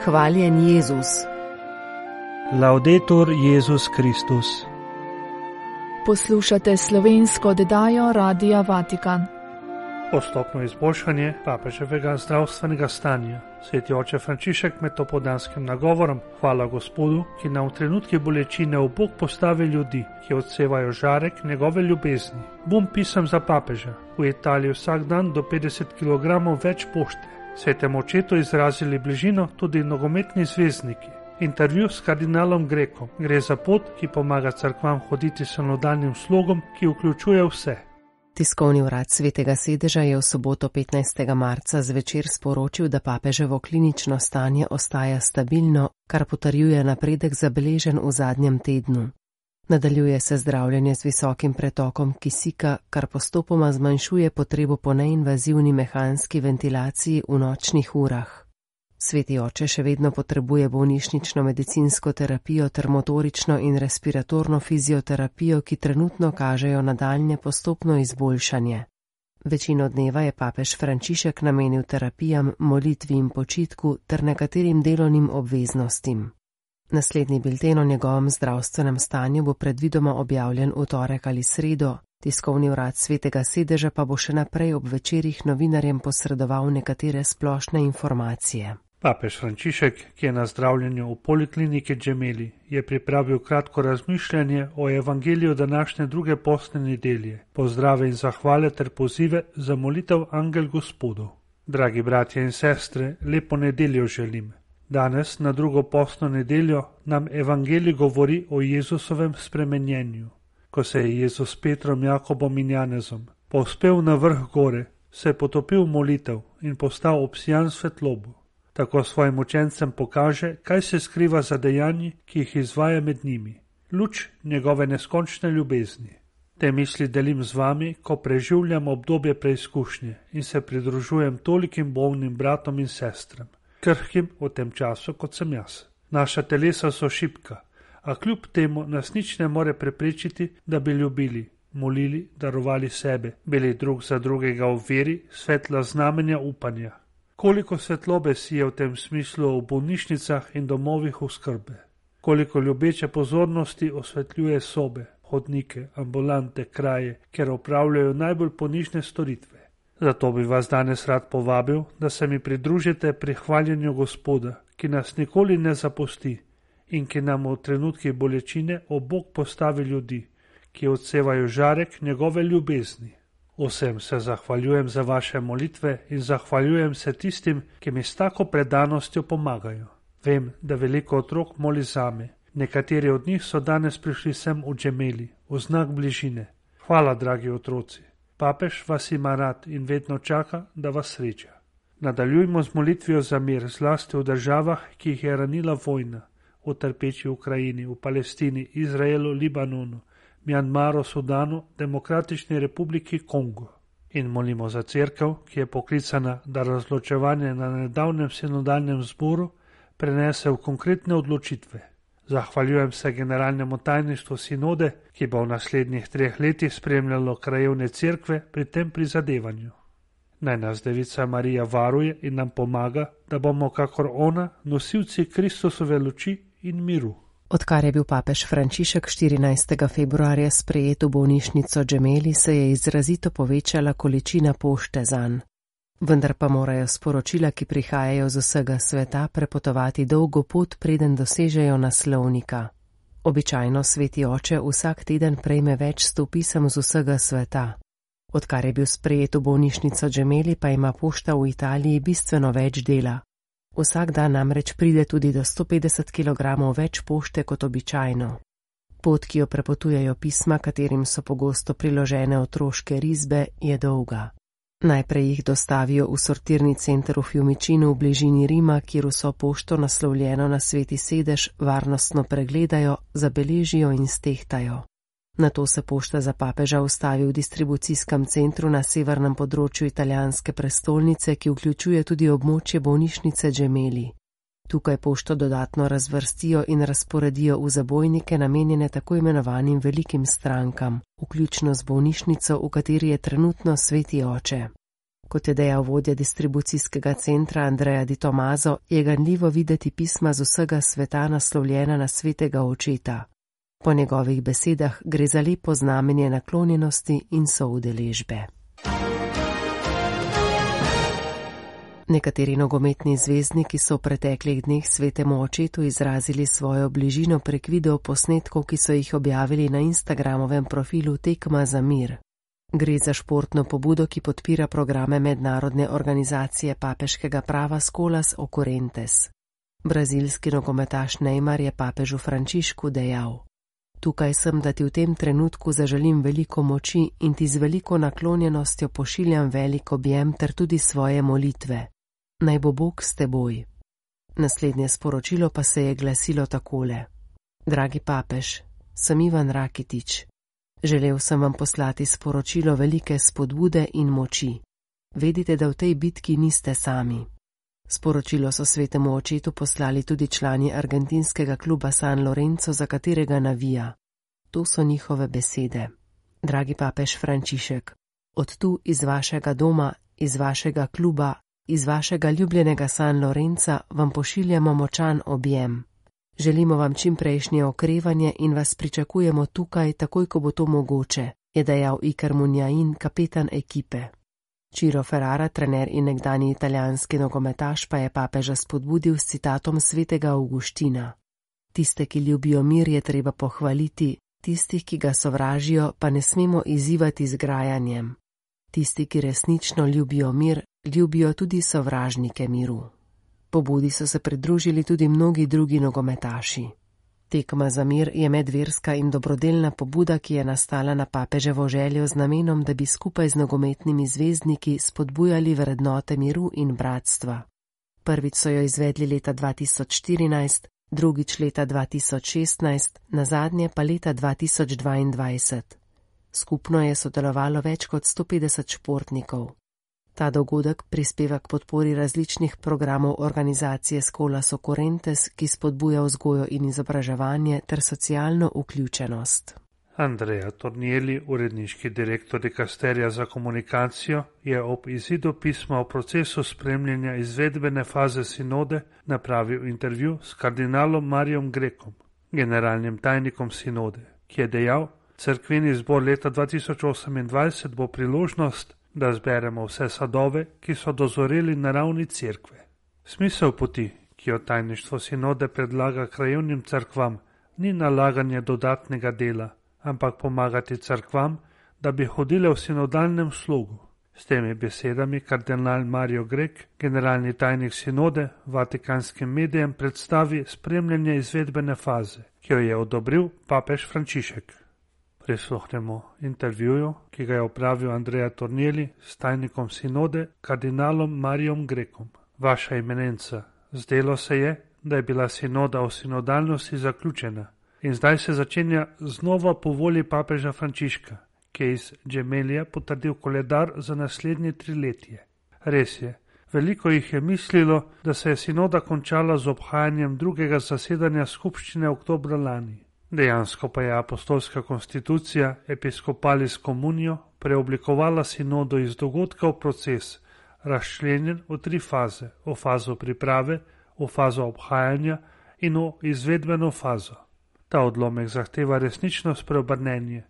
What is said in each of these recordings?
Hvaljen Jezus. Laudetur Jezus Kristus. Poslušate slovensko oddajo Radia Vatikan. Postopno izboljšanje papeževega zdravstvenega stanja. Sveti oče Frančišek med topoldanskim nagovorom hvala Gospodu, ki nam v trenutki bolečine v Bog postavi ljudi, ki odsevajo žarek njegove ljubezni. Bom pisem za papeža. V Italiji vsak dan do 50 kg več pošte. Svetemu očetu izrazili bližino tudi nogometni zvezdniki. Intervju s kardinalom Grekom. Gre za pot, ki pomaga cerkvam hoditi s sinodalnim slogom, ki vključuje vse. Tiskovni urad Svetega sedeža je v soboto 15. marca zvečer sporočil, da papeževo klinično stanje ostaja stabilno, kar potrjuje napredek zabeležen v zadnjem tednu. Nadaljuje se zdravljenje z visokim pretokom kisika, kar postopoma zmanjšuje potrebo po neinvazivni mehanski ventilaciji v nočnih urah. Sveti oče še vedno potrebuje bolnišnično medicinsko terapijo ter motorično in respiratorno fizioterapijo, ki trenutno kažejo nadaljnje postopno izboljšanje. Večino dneva je papež Frančišek namenil terapijam, molitvi in počitku ter nekaterim delovnim obveznostim. Naslednji bilten o njegovem zdravstvenem stanju bo predvidoma objavljen v torek ali sredo, tiskovni urad Svetega sedeža pa bo še naprej ob večerih novinarjem posredoval nekatere splošne informacije. Papež Frančišek, ki je na zdravljenju v polikliniki Gemelli, je pripravil kratko razmišljanje o evangeliju današnje druge postne nedelje, pozdrave in zahvale ter pozive za molitev Angel Gospodu. Dragi bratje in sestre, lepo nedeljo želim. Danes, na drugo postno nedeljo, nam evangelij govori o Jezusovem spremenjenju. Ko se je Jezus s Petrom, Jakobom in Janezom povzpel na vrh gore, se je potopil v molitev in postal obsijan svetlobo. Tako svojim učencem pokaže, kaj se skriva za dejanji, ki jih izvaja med njimi. Luč njegove neskončne ljubezni. Te misli delim z vami, ko preživljam obdobje preizkušnje in se pridružujem tolikim bolnim bratom in sestram, krhkim v tem času, kot sem jaz. Naša telesa so šibka, a kljub temu nas nič ne more preprečiti, da bi ljubili, molili, darovali sebe, bili drug za drugega v veri, svetla znamenja upanja. Koliko svetlobe si je v tem smislu v bolnišnicah in domovih oskrbe. Koliko ljubeče pozornosti osvetljuje sobe, hodnike, ambulante, kraje, kjer opravljajo najbolj ponižne storitve. Zato bi vas danes rad povabil, da se mi pridružite pri hvaljenju Gospoda, ki nas nikoli ne zapusti in ki nam v trenutkih bolečine ob Bog postavi ljudi, ki odsevajo žarek njegove ljubezni. Vsem se zahvaljujem za vaše molitve in zahvaljujem se tistim, ki mi s tako predanostjo pomagajo. Vem, da veliko otrok moli zame. Nekateri od njih so danes prišli sem v Gemelli, v znak bližine. Hvala, dragi otroci. Papež vas ima rad in vedno čaka, da vas sreča. Nadaljujmo z molitvijo za mir, zlasti v državah, ki jih je ranila vojna, v trpeči Ukrajini, v Palestini, Izraelu, Libanonu, Mjanmaru, Sudanu, Demokratični republiki Kongo. In molimo za cerkev, ki je poklicana, da razločevanje na nedavnem sinodalnem zboru prenese v konkretne odločitve. Zahvaljujem se generalnemu tajništvu sinode, ki bo v naslednjih 3 letih spremljalo krajevne cerkve pri tem prizadevanju. Naj nas Devica Marija varuje in nam pomaga, da bomo kakor ona nosilci Kristusove luči in miru. Odkar je bil papež Frančišek 14. februarja sprejet v bolnišnico Gemelli, se je izrazito povečala količina pošte zanj. Vendar pa morajo sporočila, ki prihajajo z vsega sveta, prepotovati dolgo pot, preden dosežejo naslovnika. Običajno sveti oče vsak teden prejme več 100 pisem z vsega sveta. Odkar je bil sprejet v bolnišnico Gemelli, pa ima pošta v Italiji bistveno več dela. Vsak dan namreč pride tudi do 150 kg več pošte kot običajno. Pot, ki jo prepotujejo pisma, katerim so pogosto priložene otroške risbe, je dolga. Najprej jih dostavijo v sortirni center v Fiumicinu v bližini Rima, kjer vso pošto naslovljeno na Sveti sedež varnostno pregledajo, zabeležijo in stehtajo. Nato se pošta za papeža ustavi v distribucijskem centru na severnem področju italijanske prestolnice, ki vključuje tudi območje bolnišnice Gemelli. Tukaj pošto dodatno razvrstijo in razporedijo v zabojnike namenjene tako imenovanim velikim strankam, vključno z bolnišnico, v kateri je trenutno sveti oče. Kot je dejal vodja distribucijskega centra Andrea Di Tomaso, je ganljivo videti pisma z vsega sveta naslovljena na svetega očeta. Po njegovih besedah gre za lepo znamenje naklonjenosti in soudeležbe. Nekateri nogometni zvezdniki so v preteklih dneh svetemu očetu izrazili svojo bližino prek videoposnetkov, ki so jih objavili na Instagramovem profilu Tekma za mir. Gre za športno pobudo, ki podpira programe mednarodne organizacije papeškega prava Escolas Ocorrentes. Brazilski nogometaš Neymar je papežu Frančišku dejal: "Tukaj sem, da ti v tem trenutku zaželim veliko moči in ti z veliko naklonjenostjo pošiljam velik objem ter tudi svoje molitve. Naj bo Bog s teboj." Naslednje sporočilo pa se je glasilo takole: "Dragi papež, sem Ivan Rakitić. Želel sem vam poslati sporočilo velike spodbude in moči. Vedite, da v tej bitki niste sami." Sporočilo so svetemu očetu poslali tudi člani argentinskega kluba San Lorenzo, za katerega navija. To so njihove besede: "Dragi papež Frančišek, od tu iz vašega doma, iz vašega kluba, iz vašega ljubljenega San Lorenza vam pošiljamo močan objem. Želimo vam čimprejšnje okrevanje in vas pričakujemo tukaj, takoj ko bo to mogoče," je dejal Iker Munjain, kapetan ekipe. Ciro Ferrara, trener in nekdani italijanski nogometaš, pa je papeža spodbudil s citatom svetega Avguština: "Tiste, ki ljubijo mir, je treba pohvaliti, tistih, ki ga sovražijo, pa ne smemo izzivati z grajanjem. Tisti, ki resnično ljubijo mir, ljubijo tudi sovražnike miru." Pobudi so se pridružili tudi mnogi drugi nogometaši. Tekma za mir je medverska in dobrodelna pobuda, ki je nastala na papeževo željo z namenom, da bi skupaj z nogometnimi zvezdniki spodbujali vrednote miru in bratstva. Prvič so jo izvedli leta 2014, drugič leta 2016, nazadnje pa leta 2022. Skupno je sodelovalo več kot 150 športnikov. Ta dogodek prispeva k podpori različnih programov organizacije Escolas Ocorrentes, ki spodbuja vzgojo in izobraževanje ter socialno vključenost. Andrea Tornielli, uredniški direktor dikasterija za komunikacijo, je ob izidu pisma o procesu spremljanja izvedbene faze sinode napravil intervju s kardinalom Marijom Grekom, generalnim tajnikom sinode, ki je dejal: "Cerkveni zbor leta 2028 bo priložnost, da zberemo vse sadove, ki so dozoreli na ravni cerkve. Smisel poti, ki jo tajništvo sinode predlaga krajevnim cerkvam, ni nalaganje dodatnega dela, ampak pomagati cerkvam, da bi hodile v sinodalnem slogu." S temi besedami kardinal Mario Grek, generalni tajnik sinode, vatikanskim medijem predstavi spremljanje izvedbene faze, ki jo je odobril papež Frančišek. Prisluhnemo intervjuju, ki ga je opravil Andrea Tornielli s tajnikom sinode, kardinalom Marijom Grekom. "Vaša eminenca, zdelo se je, da je bila sinoda o sinodalnosti zaključena in zdaj se začenja znova po volji papeža Frančiška, ki je iz Gemelija potrdil koledar za naslednje 3 letje. Res je, veliko jih je mislilo, da se je sinoda končala z obhajanjem drugega zasedanja skupščine oktobra lani. Dejansko pa je apostolska konstitucija Episcopalis Communio preoblikovala sinodo iz dogodka v proces, razčlenjen v 3 faze: v fazo priprave, v fazo obhajanja in v izvedbeno fazo. Ta odlomek zahteva resnično spreobrnenje,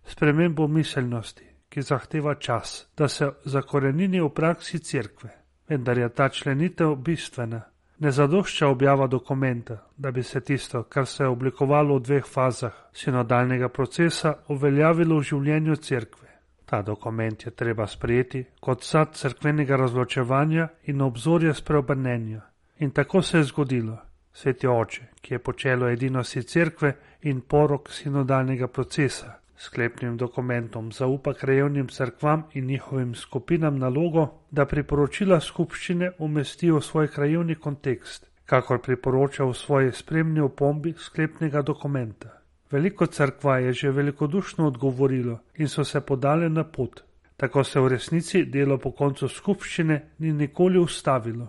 spremembo miselnosti, ki zahteva čas, da se zakorenini v praksi cerkve. Vendar je ta členitev bistvena. Ne zadošča objava dokumenta, da bi se tisto, kar se je oblikovalo v 2 fazah sinodalnega procesa, uveljavilo v življenju cerkve. Ta dokument je treba sprejeti kot sad cerkvenega razločevanja in obzorje spreobrnenja. In tako se je zgodilo. Sveti oče, ki je počelo edinosti cerkve in porok sinodalnega procesa, sklepnim dokumentom zaupa krajevnim cerkvam in njihovim skupinam nalogo, da priporočila skupščine umestijo v svoj krajevni kontekst, kakor priporoča v svoji spremni opombi sklepnega dokumenta. Veliko cerkva je že velikodušno odgovorilo in so se podale na pot. Tako se v resnici delo po koncu skupščine ni nikoli ustavilo.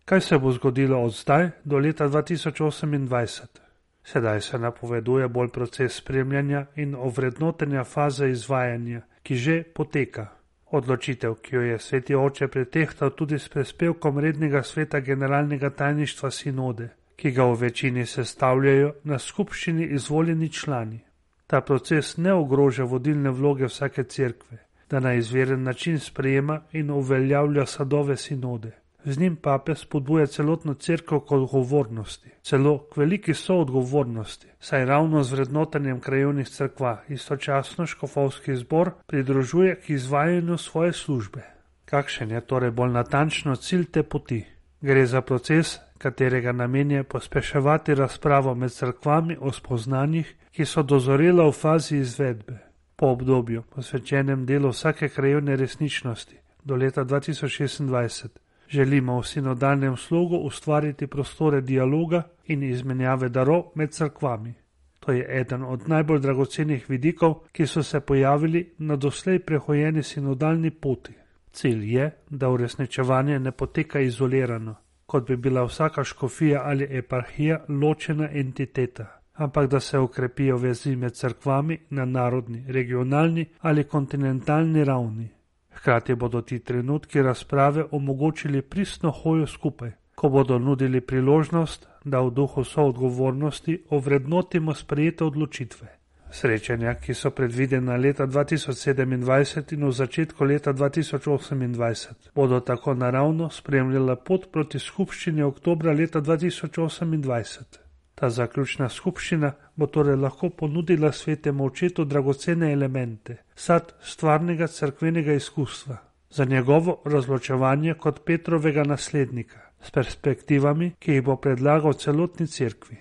Kaj se bo zgodilo od zdaj do leta 2028? Sedaj se napoveduje bolj proces spremljanja in ovrednotenja faze izvajanja, ki že poteka. Odločitev, ki jo je sveti oče pretehtal tudi s prispevkom rednega sveta generalnega tajništva sinode, ki ga v večini sestavljajo na skupščini izvoljeni člani. Ta proces ne ogroža vodilne vloge vsake cerkve, da na izveren način sprejema in uveljavlja sadove sinode. Z njim pape spodbuja celotno cerkev k odgovornosti, celo k veliki soodgovornosti, saj ravno z vrednotenjem krajevnih cerkva istočasno škofovski zbor pridružuje k izvajanju svoje službe. Kakšen je torej bolj natančno cilj te poti? Gre za proces, katerega namen je pospeševati razpravo med cerkvami o spoznanjih, ki so dozorela v fazi izvedbe. Po obdobju, posvečenem delu vsake krajevne resničnosti do leta 2026, želimo v sinodalnem slogu ustvariti prostore dialoga in izmenjave darov med cerkvami. To je eden od najbolj dragocenih vidikov, ki so se pojavili na doslej prehojeni sinodalni poti. Cilj je, da uresničevanje ne poteka izolirano, kot bi bila vsaka škofija ali eparhija ločena entiteta, ampak da se okrepijo vezi med cerkvami na narodni, regionalni ali kontinentalni ravni. Hkrati bodo ti trenutki razprave omogočili pristno hojo skupaj, ko bodo nudili priložnost, da v duhu soodgovornosti ovrednotimo sprejete odločitve. Srečanja, ki so predvidena leta 2027 in v začetku leta 2028, bodo tako naravno spremljala pot proti skupščini oktobra leta 2028. Ta zaključna skupščina bo torej lahko ponudila svetemu očetu dragocene elemente, sad stvarnega cerkvenega izkustva, za njegovo razločevanje kot Petrovega naslednika, s perspektivami, ki jih bo predlagal celotni cerkvi.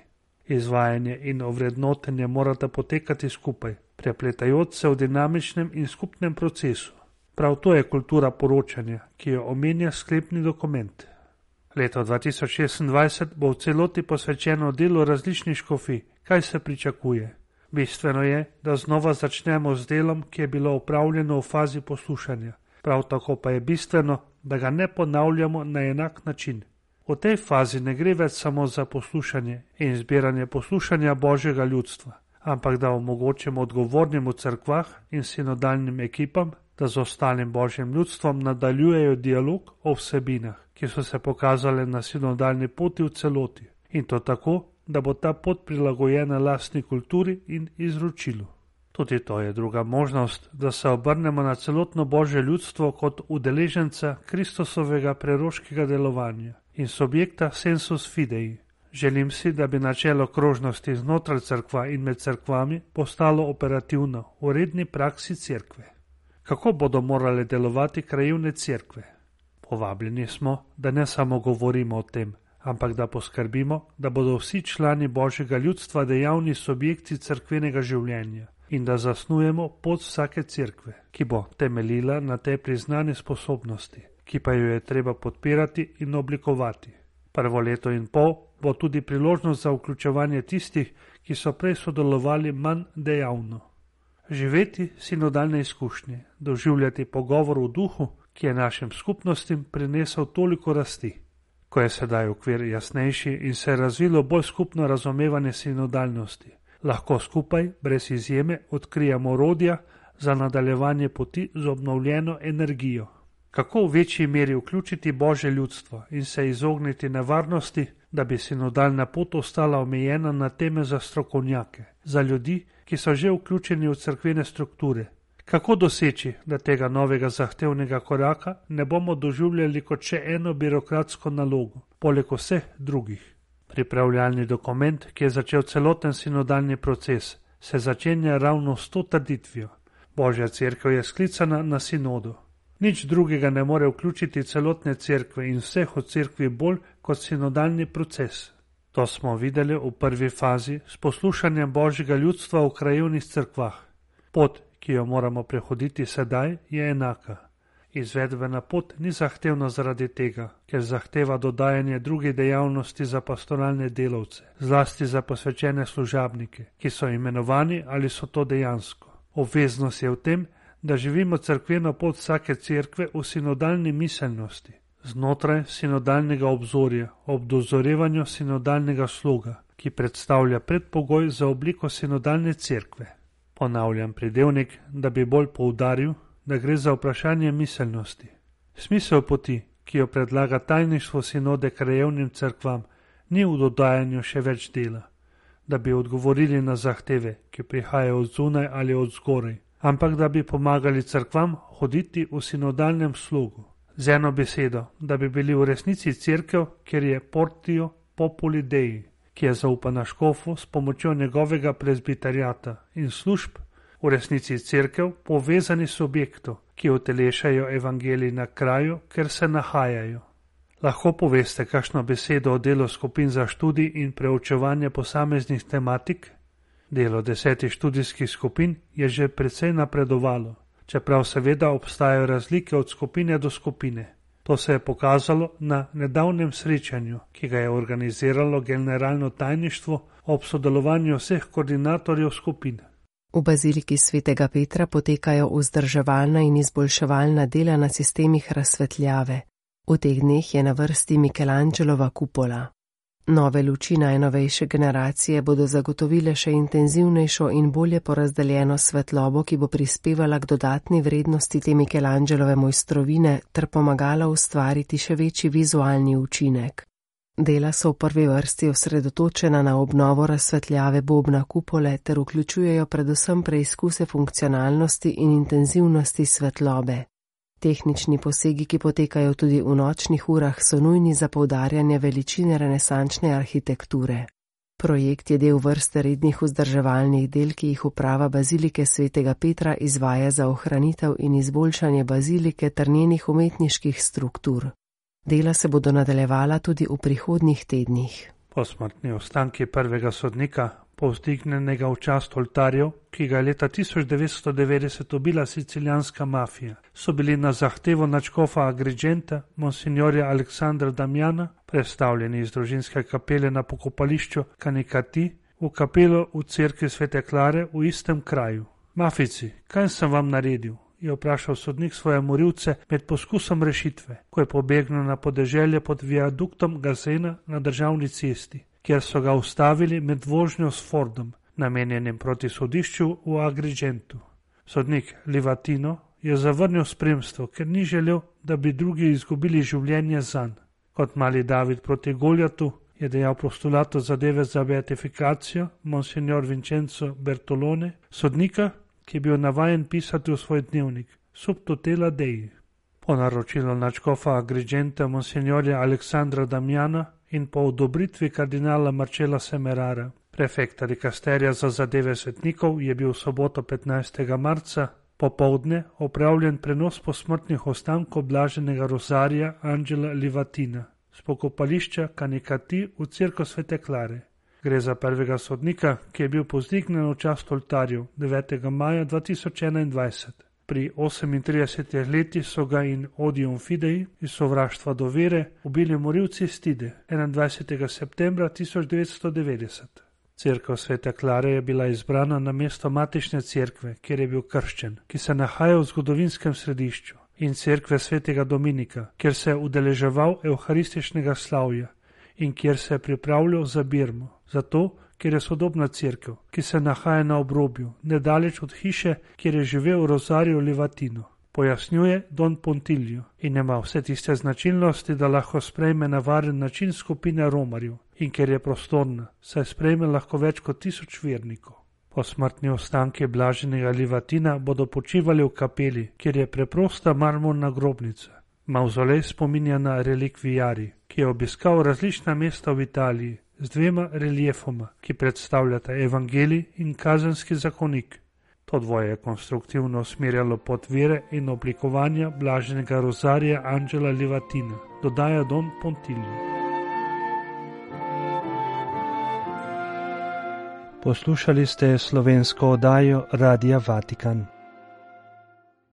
Izvajanje in ovrednotenje morata potekati skupaj, prepletajoč se v dinamičnem in skupnem procesu. Prav to je kultura poročanja, ki jo omenja sklepni dokument. Leto 2026 bo v celoti posvečeno delu različnih škofij, kaj se pričakuje. Bistveno je, da znova začnemo z delom, ki je bilo opravljeno v fazi poslušanja. Prav tako pa je bistveno, da ga ne ponavljamo na enak način. V tej fazi ne gre več samo za poslušanje in zbiranje poslušanja Božjega ljudstva, ampak da omogočimo odgovornim v cerkvah in sinodalnim ekipam, da z ostalim Božjim ljudstvom nadaljujejo dialog o vsebinah, ki so se pokazale na sinodalni poti v celoti, in to tako, da bo ta pot prilagojena lastni kulturi in izročilu. Tudi to je druga možnost, da se obrnemo na celotno Božje ljudstvo kot udeleženca Kristusovega preroškega delovanja in subjekta sensus fidei. Želim si, da bi načelo krožnosti znotraj cerkva in med cerkvami postalo operativno v redni praksi cerkve. Kako bodo morale delovati krajevne cerkve? Povabljeni smo, da ne samo govorimo o tem, ampak da poskrbimo, da bodo vsi člani Božjega ljudstva dejavni subjekti cerkvenega življenja in da zasnujemo pot vsake cerkve, ki bo temeljila na tej priznani sposobnosti, ki pa jo je treba podpirati in oblikovati. Prvo leto in pol bo tudi priložnost za vključevanje tistih, ki so prej sodelovali manj dejavno. Živeti sinodalne izkušnje, doživljati pogovor v duhu, ki je našim skupnostim prinesel toliko rasti. Ko je sedaj okvir jasnejši in se je razvilo bolj skupno razumevanje sinodalnosti, lahko skupaj, brez izjeme, odkrijemo orodja za nadaljevanje poti z obnovljeno energijo. Kako v večji meri vključiti Božje ljudstvo in se izogniti nevarnosti, da bi sinodalna pot ostala omejena na teme za strokovnjake, za ljudi, ki so že vključeni v cerkvene strukture. Kako doseči, da tega novega zahtevnega koraka ne bomo doživljali kot še eno birokratsko nalogo, poleg vseh drugih. Pripravljalni dokument, ki je začel celoten sinodalni proces, se začenja ravno s to trditvijo. Božja cerkev je sklicana na sinodu. Nič drugega ne more vključiti celotne cerkve in vseh od cerkvi bolj kot sinodalni proces. To smo videli v prvi fazi s poslušanjem Božjega ljudstva v krajevnih cerkvah. Pot, ki jo moramo prehoditi sedaj, je enaka. Izvedbena pot ni zahtevna zaradi tega, ker zahteva dodajanje drugih dejavnosti za pastoralne delavce, zlasti za posvečene služabnike, ki so imenovani ali so to dejansko. Obveznost je v tem, da živimo cerkveno pot vsake cerkve v sinodalni miselnosti, znotraj sinodalnega obzorja, ob dozorevanju sinodalnega sloga, ki predstavlja predpogoj za obliko sinodalne cerkve. Ponavljam pridevnik, da bi bolj poudaril, da gre za vprašanje miselnosti. Smisel poti, ki jo predlaga tajništvo sinode krajevnim cerkvam, ni v dodajanju še več dela, da bi odgovorili na zahteve, ki prihajajo od zunaj ali od zgoraj, ampak da bi pomagali cerkvam hoditi v sinodalnem slogu. Z eno besedo, da bi bili v resnici cerkev, kjer je portio populi dei, ki je zaupana škofu s pomočjo njegovega prezbiteriata in služb, v resnici cerkev povezani subjektov, ki utelešajo evangelij na kraju, kjer se nahajajo. Lahko poveste kakšno besedo o delu skupin za študij in preučevanje posameznih tematik? Delo 10 študijskih skupin je že precej napredovalo, čeprav seveda obstajajo razlike od skupine do skupine. To se je pokazalo na nedavnem srečanju, ki ga je organiziralo generalno tajništvo ob sodelovanju vseh koordinatorjev skupin. V baziliki svetega Petra potekajo vzdrževalna in izboljševalna dela na sistemih razsvetljave. V teh dneh je na vrsti Michelangelova kupola. Nove luči najnovejše generacije bodo zagotovile še intenzivnejšo in bolje porazdeljeno svetlobo, ki bo prispevala k dodatni vrednosti te Michelangelove mojstrovine ter pomagala ustvariti še večji vizualni učinek. Dela so v prvi vrsti osredotočena na obnovo razsvetljave bobna kupole ter vključujejo predvsem preizkuse funkcionalnosti in intenzivnosti svetlobe. Tehnični posegi, ki potekajo tudi v nočnih urah, so nujni za poudarjanje veličine renesančne arhitekture. Projekt je del vrste rednih vzdrževalnih del, ki jih uprava bazilike svetega Petra izvaja za ohranitev in izboljšanje bazilike ter njenih umetniških struktur. Dela se bodo nadaljevala tudi v prihodnjih tednih. Posmrtni ostanki prvega sodnika, povzdignenega v čast oltarjev, ki ga je leta 1990 ubila sicilijanska mafija, so bili na zahtevo nadškofa Agrigenta, monsignorja Aleksandra Damjana, prestavljeni iz družinske kapele na pokopališču Kanikati v kapelo v cerkvi Svete Klare v istem kraju. Mafijci, kaj sem vam naredil? Je vprašal sodnik svoje morilce med poskusom rešitve, ko je pobegnil na podeželje pod viaduktom Gazena na državni cesti, kjer so ga ustavili med vožnjo s Fordom, namenjenim proti sodišču v Agrigentu. Sodnik Livatino je zavrnil spremstvo, ker ni želel, da bi drugi izgubili življenje zanj. Kot mali David proti Goljatu je dejal postulatu zadeve za beatifikacijo monsignor Vincenzo Bertolone, sodnika, ki je bil navajen pisati v svoj dnevnik, sub tutela Dei. Po naročilu nadškofa Agrigenta monsignorja Aleksandra Damjana in po odobritvi kardinala Marcella Semerara, prefekta dikasterija za zadeve svetnikov, je bil v soboto 15. marca popoldne opravljen prenos posmrtnih ostankov blaženega Rosarija Angela Livatina s pokopališča Kanikati v cerkev Svete Klare. Gre za prvega sodnika, ki je bil povzdignjen v čast oltarjev 9. maja 2021. Pri 38 letih so ga in odium fidei iz sovraštva do vere ubili morilci Stide 21. septembra 1990. Cerkev Svete Klare je bila izbrana na mesto matične cerkve, kjer je bil krščen, ki se nahaja v zgodovinskem središču, in cerkve Svetega Dominika, kjer se je udeleževal evharističnega slavja in kjer se je pripravljal za Birmo, zato, ker je sodobna cerkev, ki se nahaja na obrobju, nedaleč od hiše, kjer je živel Rosario Livatino. Pojasnjuje Don Pontilio in ima vse tiste značilnosti, da lahko sprejme na varen način skupine romarjev in ker je prostorna, saj sprejme lahko več kot 1000 vernikov. Posmrtni ostanki blaženega Livatina bodo počivali v kapeli, kjer je preprosta marmorna grobnica. Mavzolej spominja na relikvijari, ki je obiskal različna mesta v Italiji z 2 reliefoma, ki predstavljata evangelij in kazenski zakonik. To dvoje je konstruktivno usmerjalo pot vere in oblikovanja blaženega Rosarija Angela Livatina, dodaja Don Pontilio. Poslušali ste slovensko oddajo Radia Vatikan.